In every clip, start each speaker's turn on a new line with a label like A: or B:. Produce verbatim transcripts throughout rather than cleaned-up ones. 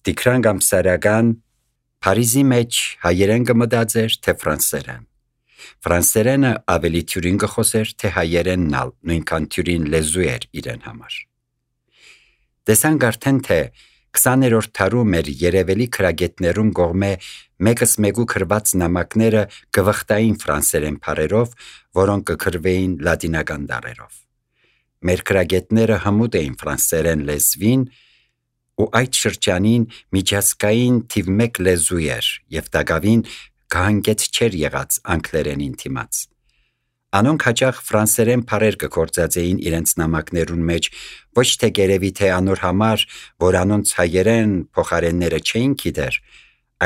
A: Տիգրան Գամսարական Փարիզի մեջ հայերեն կմտածեր, թե ֆրանսերեն։ Ֆրանսերենը ավելի թյուրին կխոսեր, թե հայերենն ալ նույնքան թյուրին լեզու էր իրեն համար։ Տեսանք արդեն, թե քսաներորդ դարում մեր երևելի քրագետներուն կողմէ մեկս մեկու քրված նամակները կվխտային ֆրանսերեն բառերով, որոնք կքրվեին լատինական տառերով։ Մեր քրագետները հմուտ էին ֆրանսերեն լեզվին, ու այդ շրջանին միջազգային թիվ մեկ լեզու էր եւ դակավին կհանգեց չէր եղած անգլերենին թիմաց։ Անոնք հաճախ ֆրանսերեն բառեր կգործածեին իրենց նամակներուն մեջ, ոչ թե գերեւի թե անոր համար, որ անոնց հայերեն փոխարենները չէին գիտեր,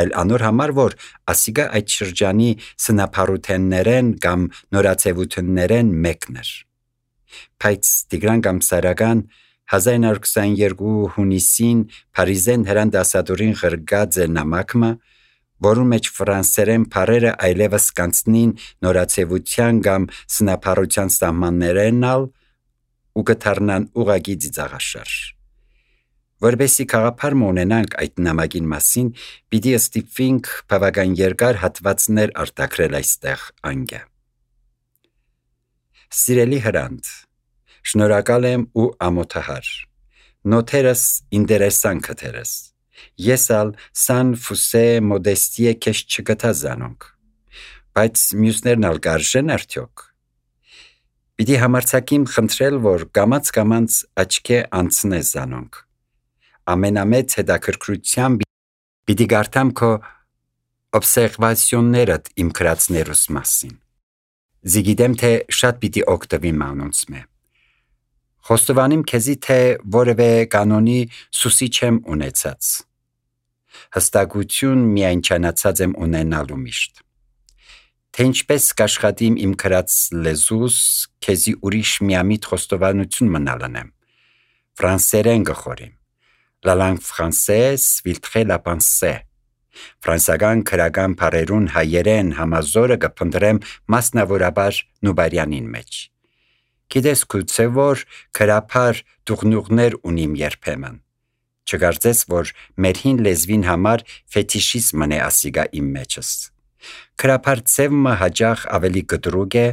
A: այլ անոր համար, որ ասիգա այդ շրջանի սնապարութեններեն կամ նորացեվութեններեն մեկն էր։ Բայց Տիգրան Գամսարական հազար իննսուն քսաներկու հունիսին Փարիզեն հրանդասադորին ղրգած է նամակը, որում մեջ ֆրանսերեն բառերը այլևս կանցնին նորացեվության կամ սնապարության սահմաններեն ալ ու կդառնան ուղղակի ծիծաղաշարժ։ Որպեսզի գաղափար ունենանք այդ նամակին մասին, պիտի ստիպվենք բավական երկար հատվածներ արտաքրել այստեղ անգե։ Սիրելի հրանտ, շնորհակալ եմ ու ամոթահար։ Նոթերս ինտերեսան քթերս։ Ես ալ սան ֆուսե մոդեստիե քեզ չգտա զանոնք։ Բայց մյուսներն ալ կարժեն արդյոք։ Պիտի համարցակիմ խնդրել, որ կամաց-կամաց աչքե անցնե զանոնք։ Ամենամեծ հետաքրքրությամբ պիտի գարտամ քո օբսերվացիոններդ իմ գրածներուս մասին։ Զիգիտեմ, թե շատ պիտի օգտվիմ անոնց մե։ Խոստովանիմ քեզի, թե որևէ կանոնի սուսի չեմ ունեցած։ Հստակություն միայն չանացած եմ ունենալու միշտ։ Թե ինչպես կաշխատիմ իմ գրած լեզուս, քեզի ուրիշ միամիտ խոստովանություն մնալնեմ։ Ֆրանսերեն գխորիմ։ La langue française filtre la pensée։ Ֆրանսական քրական բառերուն հայերեն համազորը կփնտրեմ մասնավորաբար նուբարյանին մեջ։ Գիտես գուցե որ քրափար դուղնուղներ ունիմ երբեմն։ Չկարծես, որ մեր հին լեզվին համար ֆետիշիզմն է ասիգա իմ մեջս։ Քրափար ծևը հաճախ ավելի կտրուկ է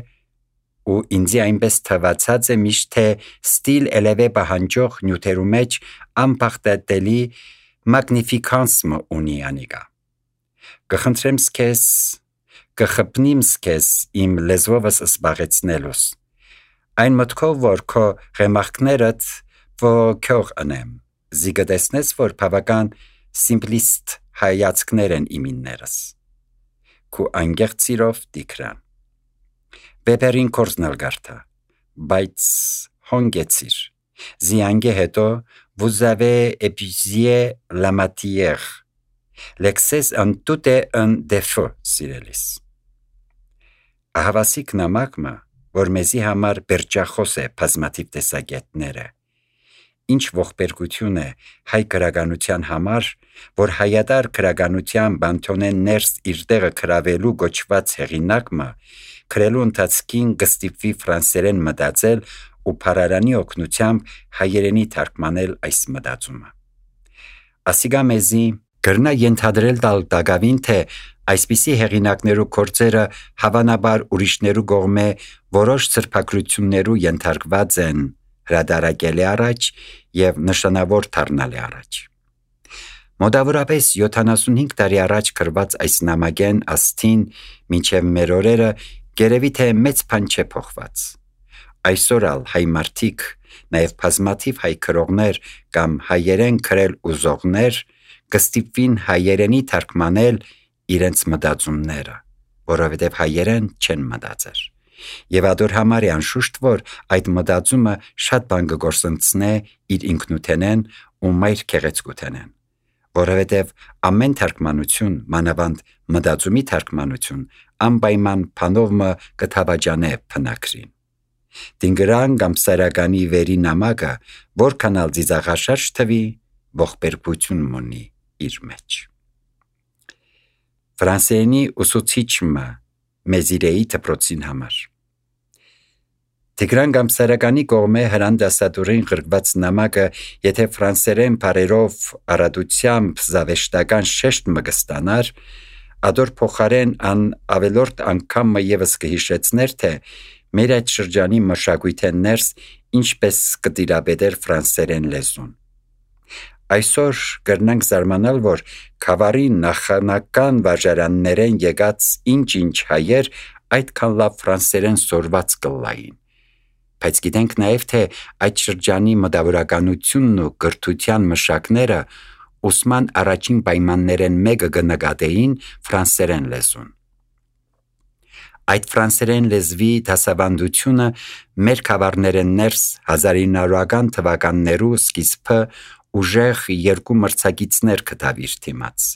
A: ու ինձի այնպես թվացած է միշտ, թե ստիլ էլևե պահանջող նյութերու մեջ անփախտատելի մագնիֆիկանսը ունի անիգա։ Կխնդրեմ քեզ, կխփնիմ քեզ իմ լեզվովս զբաղեցնելուս։ Այն մտքով, որ քո ռեմարքներդ ողոքող անեմ, զիգտեսնես, որ բավական սիմպլիստ հայացքներ են իմիններս։ Քու անգեղծ սիրով Տիգրան։ Բեպերին կորզնալ գարտա, բայց հոնգեցիր։ Զիանգե հետո vous avez épuisé la matière. L'excès en tout est un défaut, սիրելիս։ Ահավասիկ նամակը, որ մեզի համար բերջախոս է բազմաթիվ տեսակետները, ինչ ողբերգություն է հայ գրականության համար, որ հայատար գրականության բանթոնեն ներս իր տեղը գրավելու գոչված հեղինակը, գրելու ընթացքին կստիպվի ֆրանսերեն մտածել ու փարարանի օգնությամբ հայերենի թարգմանել այս մտածումը։ Ասիգա մեզի կրնա ենթադրել տալ դակավին, թե այսպիսի հեղինակներու գործերը հավանաբար ուրիշներու կողմէ որոշ սրբագրություններու ենթարկված են հրադարակելի առաջ եւ նշանավոր դառնալի առաջ։ Մոտավորապես յոթանասունհինգ տարի առաջ գրված այս նամակեն աստին մինչև մեր օրերը գերեւի թե մեծ բան չէ փոխված։ Այսօր ալ հայ մարդիկ, նաեւ բազմաթիվ հայ քրողներ կամ հայերեն գրել ուզողներ կստիպվին հայերենի թարգմանել իրենց մտածումները, որովհետև հայերեն չեն մտածեր։ Եվ ադոր համար է անշուշտ, որ այդ մտածումը շատ բան կգործընծնե իր ինքնութենեն ու մայր քեղեցկութենեն, որովհետև ամեն թարգմանություն, մանավանդ մտածումի թարգմանություն, անպայման բանովը կթավաջանե փնակրին։ Տիգրան Գամսարականի վերի նամակը, որքան ալ ծիծաղաշարժ թվի, ողբերգություն ունի իր մեջ։ Ֆրանսերենի ուսուցիչը մեզիրեի դպրոցին համար։ Տիգրան Գամսարականի կողմէ հրան դասադուռին ղրկված նամակը եթե ֆրանսերեն բարերով առատությամբ զավեշտական շեշտ մը կստանար, ադոր փոխարեն ան ավելորդ անգամը եւս կհիշեցներ, թե մեր այդ շրջանի մշակույթեն ներս ինչպես կտիրապետեր ֆրանսերեն լեզուն։ Այսօր կրնանք զարմանալ, որ քավարի նախանական վարժարաններեն եկած ինչ-ինչ հայեր այդքան լավ ֆրանսերեն սորված կլային։ Բայց գիտենք նաև, թե այդ շրջանի մտավորականությունն ու կրթության մշակները ուսման առաջին պայմաններեն մեկը կնկատեին ֆրանսերեն լեզուն։ Այդ ֆրանսերեն լեզվի դասավանդությունը մեր քավարներեն ներս հազարինարական թվականներու սկիզբը ուժեղ երկու մրցակիցներ կտավիր թիմաց,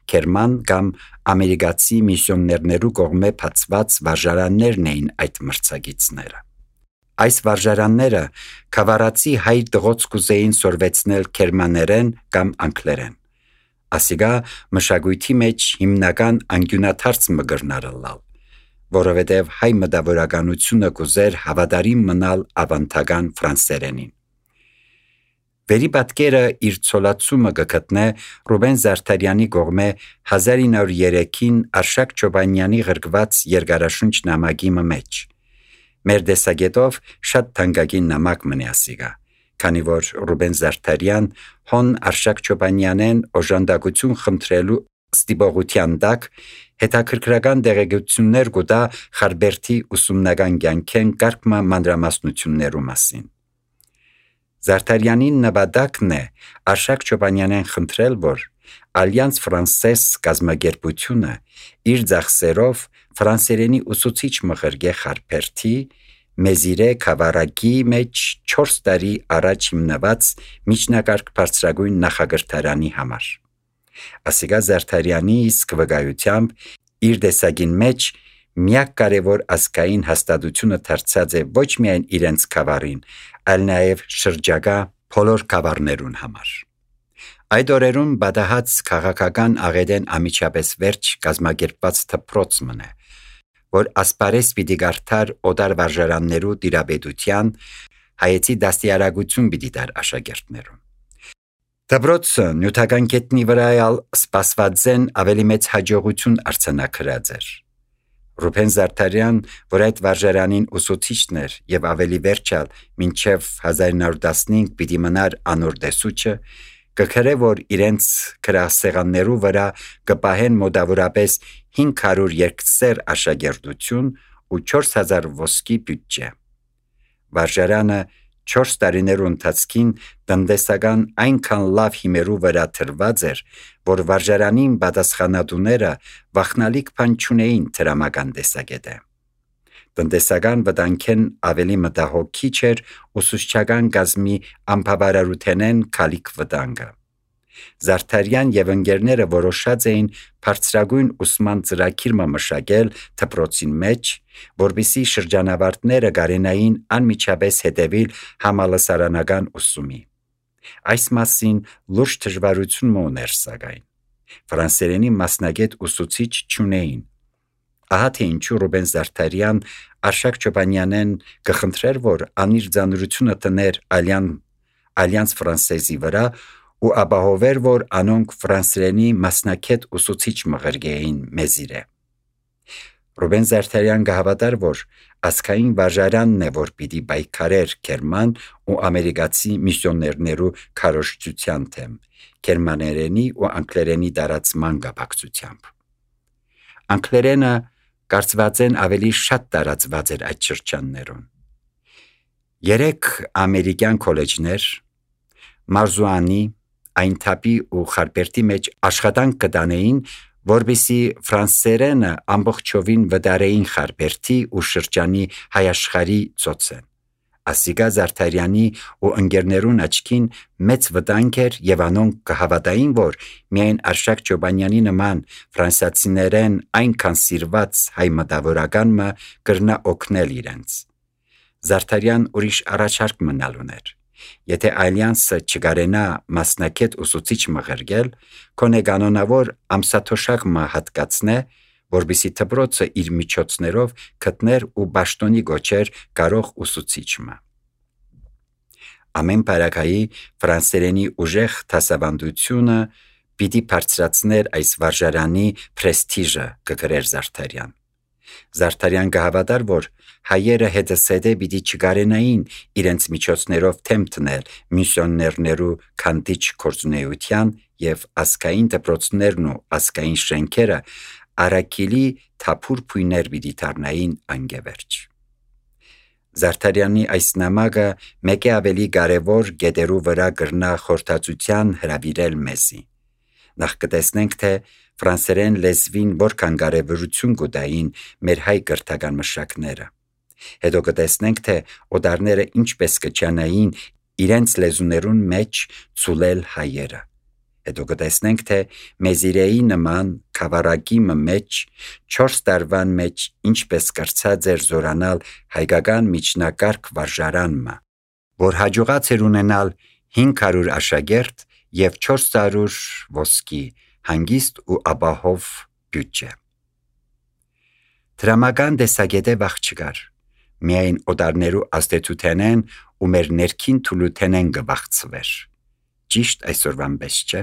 A: Գերման կամ ամերիկացի միսիոներներու կողմէ բացված վարժարաններն էին այդ մրցակիցները։ Այս վարժարանները քավարացի հայ դղոց կուզեին սորվեցնել գերմաներեն կամ անգլերեն։ Ասիգա մշակույթի մեջ հիմնական անկյունաթարց մը գրնարըլալ, որովհետև հայ մտավորականությունը կուզեր հավատարիմ մնալ ավանդական ֆրանսերենին։ Վերի պատկերը իր ցոլացումը կգտնե Ռուբեն Զարդարյանի կողմէ հազար ինը հարյուր երեքին Արշակ Չոբանյանի ղրկված երկարաշունչ նամակի մեջ։ Մեր դեսագետով շատ թանկագին նամակ մնի ասիգա, քանի որ Ռուբեն Զարդարյան հոն Արշակ Չոբանյանեն օժանդակություն խնդրելու ստիպողության տակ հետաքրքրական տեղեկություններ կուտա Խարբերդի ուսումնական կյանքեն կարգմա մանրամասնություններու մասին։ Զարդարյանին նպատակն է Արշակ Չոբանյանեն խնդրել, որ Ալյանս Ֆրանսես կազմակերպությունը իր ծախսերով ֆրանսերենի ուսուցիչ մղրգե Խարբերդի մեզիրե քավարակի մեջ չորս տարի առաջ հիմնված միջնակարգ բարձրագույն նախագրթարանի համար։ Ասիգա Զարդարյանի իսկ վկայությամբ իր դեսագին մեջ միակ կարևոր ազգային հաստատությունը դարձած է ոչ միայն իրենց քավարին, այլ նաև շրջակա բոլոր քավարներուն համար։ Այդ օրերուն բադահած քաղաքական աղետեն ամիջապես վերջ կազմակերպված դպրոց մնե, որ ասպարես պիտի գարթար օտար վարժարաններու տիրապետության հայեցի դաստիարակություն պիտի դար աշակերտներուն։ Դպրոցը նյութական կետնի վրայալ սպասվածեն ավելի մեծ հաջողություն արձանագրած էր։ Ռուբեն Զարդարյան, որ այդ վարժարանին ուսուցիչն էր եւ ավելի վերջալ մինչեւ հազար ինը հարյուր տասնհինգ պիտի մնար անոր դեսուչը, կգրե, որ իրենց գրասեղաններու վրա կպահեն մոտավորապես հինգ հարյուր երկսեր աշակերտություն ու չորս հազար ոսկի բյուջե։ Վարժարանը չորս տարիներու ընթացքին տնտեսական այնքան լավ հիմերու վրա թրված էր, որ վարժարանին պատասխանատուները վախնալիք բան չունեին դրամական տեսակետը։ Տնտեսական վտանգեն ավելի մտահոգիչ էր ուսուցչական կազմի անբավարարութենեն քալիք վտանգը։ Զարդարյան եւ ընկերները որոշած էին բարձրագույն ուսման ծրագիր մշակել դպրոցին մեջ, որբիսի շրջանավարտները կարենային անմիջապես հետևել համալսարանական ուսումի։ Այս մասին լուրջ դժվարություն ուներ սակայն։ Ֆրանսերենի մասնագետ ուսուցիչ չունեին։ Ահա թե ինչու Ռուբեն Զարդարյան Արշակ Չոբանյանեն կխնդրեր, որ անիր ծանրությունը տներ Ալյան Ալյանս Ֆրանսեզի վրա ու ապահովեր, որ անոնք ֆրանսերենի մասնակետ ուսուցիչ մղրգեին մեզիրե։ Ռուբեն Զարդարյան կհավատար, որ ասկային վարժարանն է, որ պիտի բայկարեր Գերման ու ամերիկացի միսիոներներու քարոշչության թեմ, գերմաներենի ու անգլերենի տարածման կապակցությամբ։ Անգլերենը կարծված են ավելի շատ տարածված էր այդ շրջաններում։ Երեք ամերիկյան քոլեջներ Մարզուանի, Այնթապի ու Խարբերդի մեջ աշխատանք կտանեին, որբիսի ֆրանսերենը ամբողջովին վտարեին Խարբերդի ու շրջանի հայաշխարի ծոցեն։ Ասիգա Զարդարյանի ու ընկերներուն աչքին մեծ վտանգ էր եւ անոնք կհավատային, որ միայն Արշակ Չոբանյանի նման ֆրանսիացիներեն այնքան սիրված հայ մտավորականը կրնա օգնել իրենց։ Զարդարյան ուրիշ առաջարկ մնալ ուներ։ Եթե Ալյանսը չգարենա մասնակետ ուսուցիչ մղրգել, կոնե կանոնավոր ամսաթոշակ մը հատկացնե, որբիսի դպրոցը իր միջոցներով գտներ ու պաշտոնի գոչեր կարող ուսուցիչը։ Ամեն պարագայի ֆրանսերենի ուժեղ դասավանդությունը պիտի բարձրացներ այս վարժարանի պրեստիժը, կգրեր Զարդարյան։ Զարդարյան կհավատար, որ հայերը հետսեդե պիտի չգարենային իրենց միջոցներով թեմ տնել միսիոներներու քանդիչ գործունեության եւ ազգային դպրոցներն ու ազգային շենքերը Արաքիլի թափուր փույներ պիտի դառնային անգևերջ։ Զարդարյանի այս նամակը մեկ է ավելի կարևոր գետերու վրա գրնա խորհրդածության հրավիրել մեզի։ Նախ կտեսնենք, թե ֆրանսերեն լեզվին որքան կարևորություն կուտային մեր հայ կրթական մշակները։ Հետո կտեսնենք, թե օտարները ինչպես կչանային իրենց լեզուներուն մեջ ցուլել հայերը։ Հետո կտեսնենք, թե մեզիրեի նման քավարակի մեջ չորս տարվան մեջ ինչպես կրծած էր զորանալ հայկական միջնակարգ վարժարանը, որ հաջողած էր ունենալ հինգ հարյուր աշակերտ եւ չորս հարյուր ոսկի հանգիստ ու ապահով բյուջե։ Դրամական տեսակետը վաղ չկար, միայն օտարներու աստեցութենեն ու մեր ներքին թուլութենեն կվախցվեր։ Ճիշտ այսօրվան պես չէ։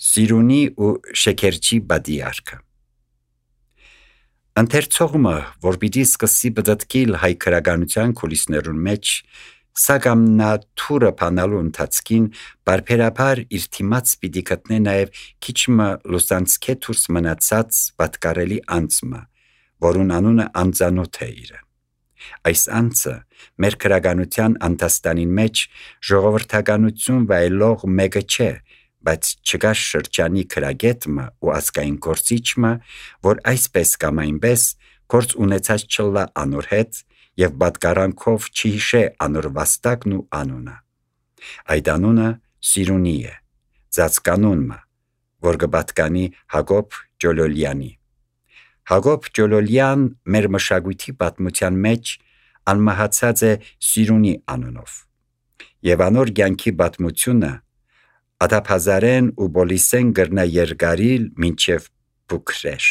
A: Սիրունի ու շեքերչի բադիարքը Ընթերցողը, որ պիտի սկսի բդտկիլ հայ քրագանության կուլիսներուն մեջ, սակամ նա թուրը փանալու ընթացքին բարբերաբար իր թիմաց պիտի գտնե նաև քիչմը լուսանցքե դուրս մնացած պատկարելի անձը, որուն անունը անծանոթ է իրը։ Այս անձը մեր քրագանության անտաստանին մեջ ժողովրդականություն վայելող մեկը չէ, բայց չկա շրջանի քրագետը ու ազգային գործիչը, որ այսպես կամ այնպես գործ ունեցած չլա անոր հետ եւ պատկարանքով չհիշե անոր վաստակն ու անունը։ Այդ անունը Սիրունի է, ծածկանունը, որ կպատկանի Հակոբ Ջոլոլյանի։ Հակոբ Ջոլոլյան մեր մշակույթի պատմության մեջ անմահացած է Սիրունի անունով, եւ անոր կյանքի պատմությունը ադափազարեն ու բոլիսեն գրնա երգարիլ մինչև Բուքրեշ,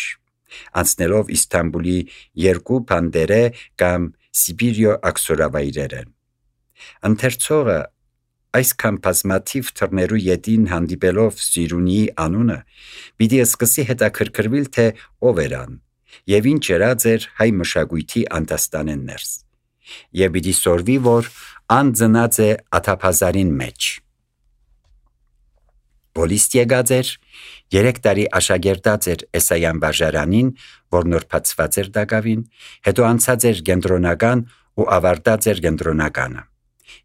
A: անցնելով Իստանբուլի երկու բանդերե կամ Սիբիրիո աքսորավայրերեն։ Ընթերցողը այսքան բազմաթիվ թռներու ետին հանդիպելով Սիրունիի անունը պիտի սկսի հետաքրքրվել, թե ով էր ան եւ ինչ երած էր հայ մշակույթի անտաստանեն ներս, եւ պիտի սորվի, որ ան ծնած է ադափազարին մեջ։ Բոլիստ եկած էր, երեք տարի աշակերտած էր Էսայան վարժարանին, որ նոր բացված էր դակավին, հետո անցած էր կենտրոնական ու ավարտած էր կենտրոնականը։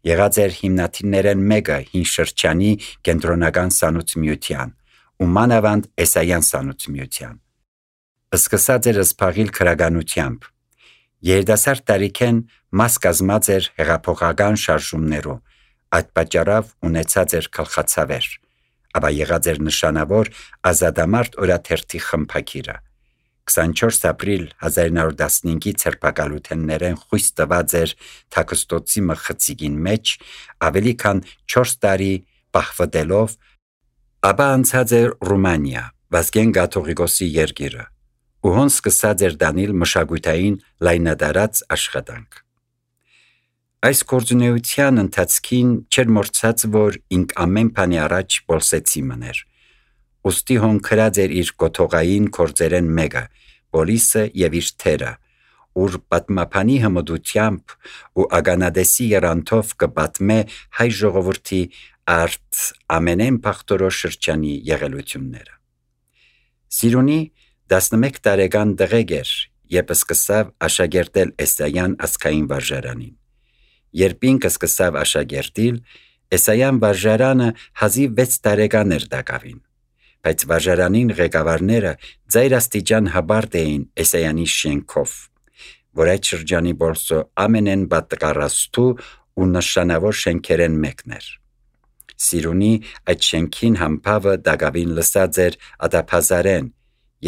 A: Եղած էր հիմնադիրներեն մեկը հին շրջանի կենտրոնական սանուցմիության ու մանավանդ Էսայան սանուցմիության։ Սկսած էր սփաղիլ քրագանությամբ։ Երիտասարդ տարիքեն մաս կազմած էր հեղափոխական շարժումներու, այդ պատճառով ունեցած էր գլխացավեր, ապա եղած էր նշանավոր ազատամարտ օրաթերթի խմբագիրը։ քսանչորս ապրիլ հազար ինը հարյուր տասնհինգի ցերպակալութեններեն խույս տված էր Թաքստոցի մխցիկին մեջ ավելի քան չորս տարի պահվդելով, ապա անցած էր Ռումանիա, Վազգեն Կաթողիկոսի երգիրը, ու հոն սկսած էր դանիլ մշակութային լայնադարած աշխատանք։ Այս գործունեության ընթացքին չէր մորցած, որ ինք ամեն բանի առաջ բոլսեցի մներ։ Ոստի հոն քրած էր իր գոթողային կորձերեն մեկը, Բոլիսը եւ իր թերը, ուր պատմապանի հմդությամբ ու ագանադեսի երանթով կպատմե հայ ժողովրդի արդ ամենեն փախտորոշ շրջանի եղելությունները։ Սիրունի տասնմեկ տարեկան տղեկ էր, երբ սկսավ աշակերտել Էսայան ազգային վարժարանին։ Երբ ինքը սկսավ աշակերտել, Էսայան վարժարանը հազիվ վեց տարեկան էր դակավին, բայց վարժարանին ղեկավարները ծայրաստիճան հաբարտ էին Էսայանի շենքով, որ այդ շրջանի բոլսո ամենեն պատկառաստու ու նշանավոր շենքերեն մեկն էր։ Սիրունի այդ շենքին համբավը դակավին լսած էր ադափազարեն,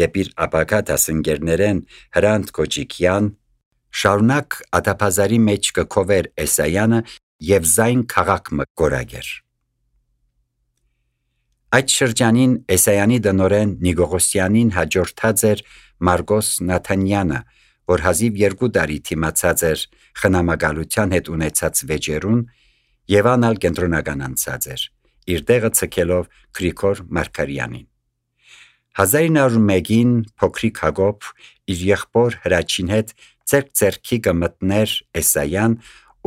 A: երբ իր ապակա դասընկերներեն Հրանտ Կոջիկյան շարունակ ադափազարի մեջ կքովեր Էսայանը եւ զայն քաղաք մը գորագեր։ Այդ շրջանին Էսայանի դնորեն Նիգողոսյանին հաջորդած էր Մարգոս Նաթանյանը, որ հազիվ երկու տարի թիմացած էր խնամակալության հետ ունեցած վեճերուն եւ անալ կենտրոնական անցած էր, իր տեղը ցկելով Գրիգոր Մարգարյանին։ հազար նոր մեկին փոքրիկ Հակոբ իր եղբոր Հրաչին հետ ձեռք-ձեռքի կմտներ Էսայան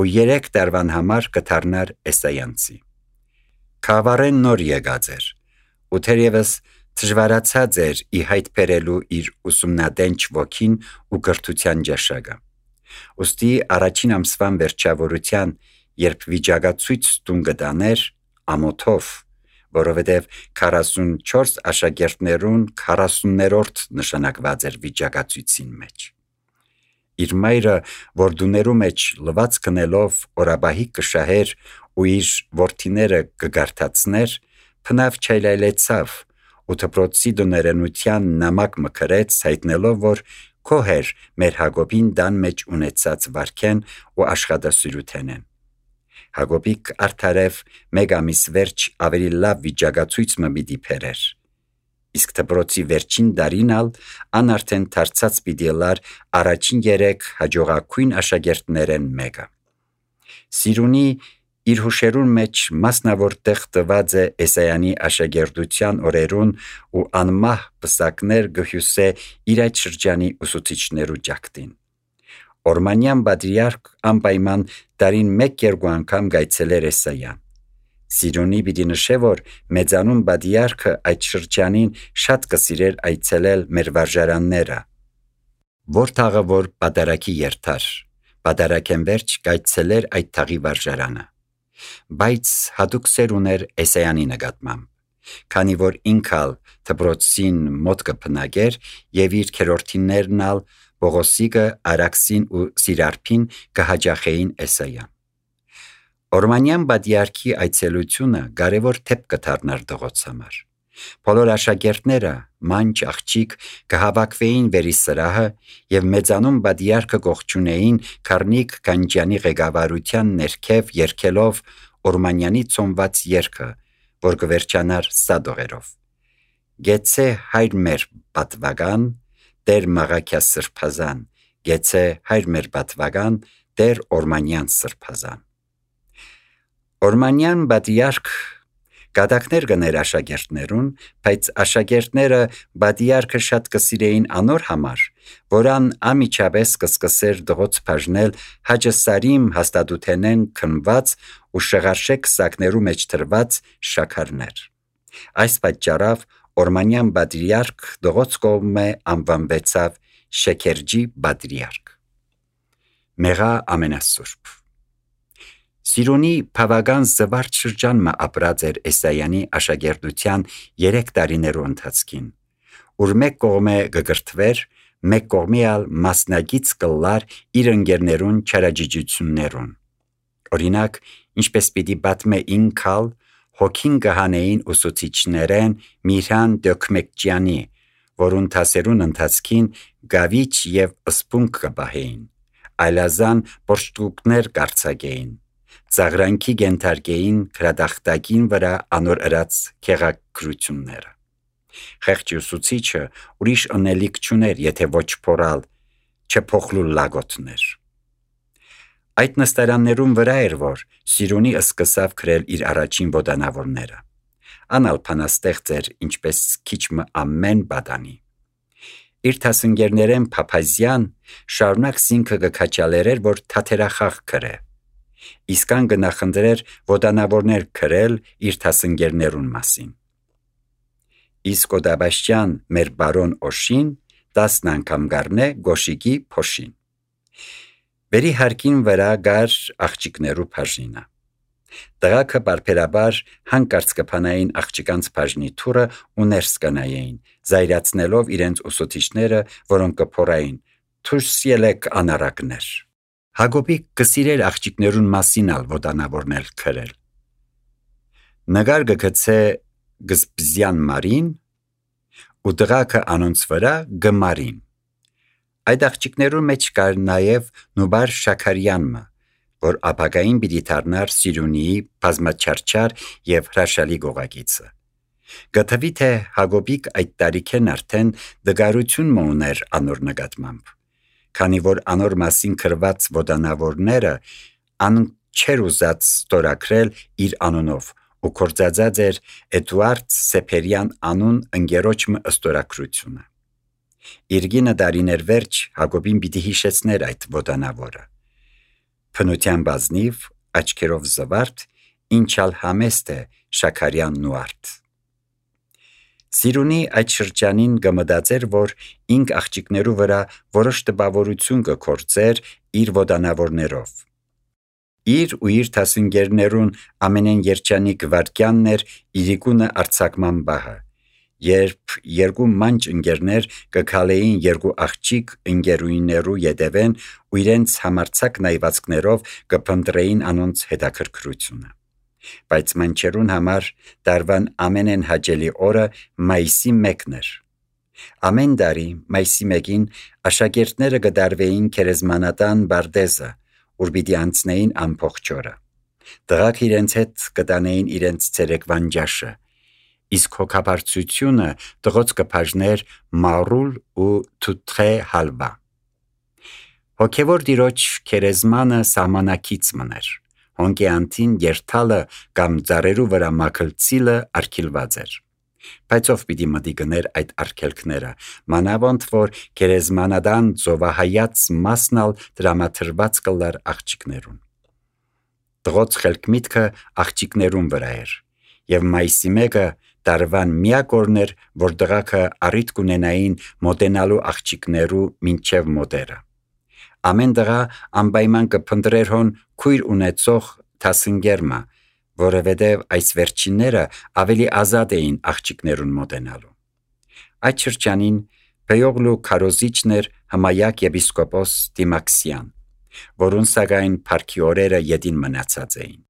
A: ու երեք տարվան համար կդառնար Էսայանցի։ Քավարեն նոր եկած էր, ու թերևս դժվարացած էր ի հայտ բերելու իր ուսումնադենչ ոգին ու գրթության ջաշակը։ Ոստի առաջին ամսվան վերջավորության, երբ վիճակացույց տուն կտաներ ամոթով, որովհետև քառասունչորս աշակերտներուն քառասուններորդ նշանակված էր վիճակացույցին մեջ։ Իր մայրը, որ դուներու մեջ լված կնելով օրաբահի կշահեր ու իր որդիները կգարթացներ, փնավ չայլայլեցավ ու դպրոցի դուներենության նամակ մկրեց, հայտնելով, որ քոհեր մեր Հակոբին դան մեջ ունեցած վարքեն ու աշխատասիրութենեն։ Հակոբիկ արդարև մեկ ամիս վերջ ավելի լավ վիճակացույց մը պիտի բերեր։ Իսկ դպրոցի վերջին դարին ալ ան արդեն դարձած պիտի լար առաջին երեք հաջողակույն աշակերտներեն մեկը։ Սիրունի իր հուշերուն մեջ մասնավոր տեղ տված է Էսայանի աշակերտության օրերուն ու անմահ պսակներ գհյուսե իր այդ շրջանի ուսուցիչներու ջակտին։ Օրմանյան պատրիարք անպայման տարին մեկ-երկու անգամ գայցելեր Էսայան։ Սիրունի պիտի նշե, որ մեծանուն պատրիարքը այդ շրջանին շատ կսիրեր այցելել մեր վարժարանները, որ թաղը որ պատարակի երթար, պատարակեն վերջ գայցելեր այդ թաղի վարժարանը, բայց հատուկ սեր ուներ Էսայանի նկատմամբ, քանի որ ինքալ դպրոցին մոտ կփնագեր եւ իր քերորդիներն ալ Պողոսիկը, Արաքսին ու Սիրարփին կհաջախեին Էսայան։ Օրմանյան պատրիարքի այցելությունը կարևոր թեփ կդառնար դղոց համար։ Բոլոր աշակերտները մանչ աղջիկ կհավաքվեին վերի սրահը եւ մեծանուն պատրիարքը կողջունեին Քարնիկ Գանջյանի ղեկավարության ներքև երգելով Օրմանյանի ծոմված երգը, որ կվերջանար սադողերով։ Գեցե հայր մեր պատվական, Տեր Մաղաքյա սրբազան, գեցե հայր մեր պատվական, Տեր Օրմանյան սրբազան։ Օրմանյան պատրիարք գադակներ գներ աշակերտներուն, բայց աշակերտները պատրիարքը շատ կսիրեին անոր համար, որան ամիջապես կսկսեր դղոց բաժնել հաջսարիմ հաստատութենեն քնված ու շղարշեք սակներու մեջ թրված շաքարներ։ Այս պատճառով Օրմանյան պատրիարք դղոց կողմը անվանվեցավ Շեքերջի պատրիարք։ Մեղա ամենասուրբ։ Սիրունի բավական զվարճ շրջանն ապրած էր Էսայանի աշակերտության երեք տարիներու ընթացքին, ուր մեկ կողմը գգրթվեր, մեկ կողմի ալ մասնագից կլար իր ընկերներուն չարաջիջություններուն։ Օրինակ, ինչպես պիտի պատմե ինքալ հոգին կհանեին ուսուցիչներեն Միրհան Դոկմեկջյանի, որուն թասերուն ընթացքին գավիչ եւ սպունգ կբահեին, այլազան պորշտուկներ կարձակեին, ծաղրանքի գենթարկեին գրադախտակին վրա անոր ըրած քեղակրությունները։ Խեղճ ուսուցիչը ուրիշ ընելիք չուներ, եթե ոչ փորալ, չփոխլու լագոտներ։ Այդ նստարաններում վրա էր, որ Սիրունի սկսավ գրել իր առաջին ոտանավորները։ Անալ փանաստեղծ էր, ինչպես քիչմը ամեն բադանի։ Իր թասընկերներեն Փափազյան շարունակ սինքը կքաչալերեր, որ թաթերախաղ գրե։ Իսկան գնախնդրեր ոտանավորներ գրել իր թասընկերներուն մասին։ Իսկ Օդաբաշյան մեր բարոն Օշին տասն անգամ գարնե գոշիկի փոշին։ Բերի հարկին վրա գար աղջիկներու բաժինը։ Տղաքը բարբերաբար հանկարծ կփանային աղջկանց բաժնի թուրը ու ներս կանային, զայրացնելով իրենց ուսուցիչները, որոնք կփորային «Թույս ելեք անարակներ»։ Հակոբի կսիրեր աղջիկներուն մասին ալ ոտանավորներ գրել։ Նգար գգցե գզբզյան մարին ու տղաքը անոնց վրա գմարին։ Այդ աղջիկներու մեջ կար նաև Նուբար Շաքարյանը, որ ապագային պիտի դառնար Սիրունիի բազմաչարչար եւ հրաշալի գողագիծը։ Գտվի թե Հակոբիկ այդ տարիքեն արդեն դգարություն մուներ անոր նկատմամբ, քանի որ անոր մասին քրված ոդանավորները ան չեր ուզած ստորագրել իր անունով ու կործածած էր Էդուարդ Սեփերյան անուն ընկերոջը ստորագրությունը։ Իր գինը դարիներ վերջ Հակոբին պիտի հիշեցներ այդ ոդանավորը։ Փնության բազնիվ, աչքերով զվարթ, ինչալ համեստ է Շաքարյանն ու արդ։ Սիրունի այդ շրջանին գմդացեր, որ ինք աղջիկներու վրա որոշ տպավորություն կգործեր իր ոդանավորներով։ Իր ու իր թասընկերներուն ամենեն երջանիկ վարկյանն էր իրիկունը արձակման բահը, երբ երկու մանչ ընկերներ կքալեին երկու աղջիկ ընկերուիներու ետևեն ու իրենց համարձակ նայվածքներով կփնտրեին անոնց հետաքրքրությունը։ Բայց մանչերուն համար դարվան ամենեն հաճելի օրը մայիսի մեկն էր։ Ամեն տարի մայիսի մեկին աշակերտները կդարվեին քերեզմանատան բարդեզը, ուր պիտի անցնեին ամբողջ օրը։ Տղաք իրենց հետ կտանեին իրենց ցերեկվան ջաշը, իսկ հոգաբարձությունը տղոց կբաժներ մարուլ ու թութխե հալվա։ Հոգևոր դիրոջ քերեզմանը սահմանակից մներ։ Հոնկե անտին երթալը կամ ծառերու վրա մաքլցիլը արգելված էր։ Բայց ով պիտի մտի գներ այդ արգելքները, մանավանդ որ քերեզմանադան ծովահայաց մասնալ դրամաթրված կլար աղջիկներուն։ Տղոց խելք միտքը աղջիկներուն վրա էր, եւ մայիսի մեկը տարվան միակ օրն էր, որ տղաքը առիթ կունենային մոտենալու աղջիկներու մինչև մոտերը։ Ամեն տղա անպայման կփնտրեր հոն քույր ունեցող թասընկերմա, որովհետև այս վերջինները ավելի ազատ էին աղջիկներուն մոտենալու։ Այդ շրջանին Պեյողլու քարոզիչն էր Հմայակ եպիսկոպոս Դիմաքսյան, որուն սակայն փառքի օրերը յետին մնացած էին։